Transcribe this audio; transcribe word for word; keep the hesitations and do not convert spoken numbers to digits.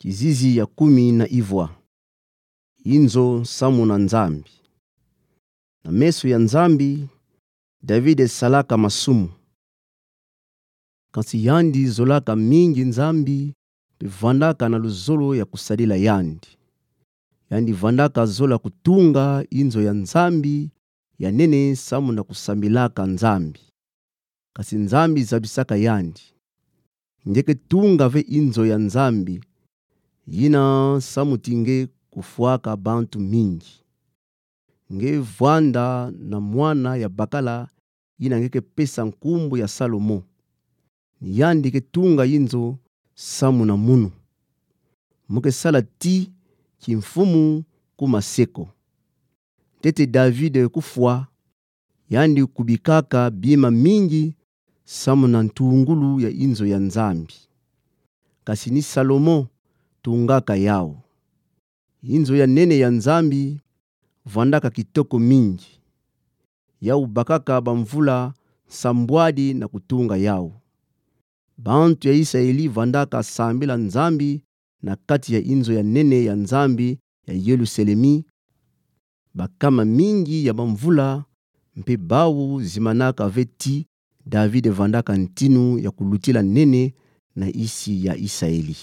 Kizizi ya kumi na ivwa. Inzo samu na Nzambi. Na meso ya Nzambi, David salaka masumu. Kasi yandi zolaka mingi Nzambi, mpe vandaka na luzolo ya kusadila yandi. Yandi vandaka zola kutunga inzo ya Nzambi ya nene samu na kusambilaka Nzambi. Kasi Nzambi zabisaka yandi: Nge ke tunga ve inzo ya Nzambi, yina samu ti nge kufwaka bantu mingi. Nge vwanda na mwana ya bakala yina nge ke pesa nkumbu ya Salomo. Ni yandi ke tunga inzo samu na munu. Mu ke sala ti kimfumu ku maseko. Ntete David kufwa, yandi kubikaka bima mingi samu na ntungulu ya inzo ya Nzambi. Kasi ni Salomo tungaka yawu. Inzo ya nene ya Nzambi vwandaka kitoko mingi. Yawu bakaka bamvula nsambwadi na kutunga yawu. Bantu ya Isaeli vandaka sambila Nzambi na kati ya inzo ya nene ya Nzambi ya Yelusalemi. Bakama mingi ya bamvula, mpe bawu zimanaka ve ti David vandaka ntinu ya kulutila nene na isi ya Isaeli.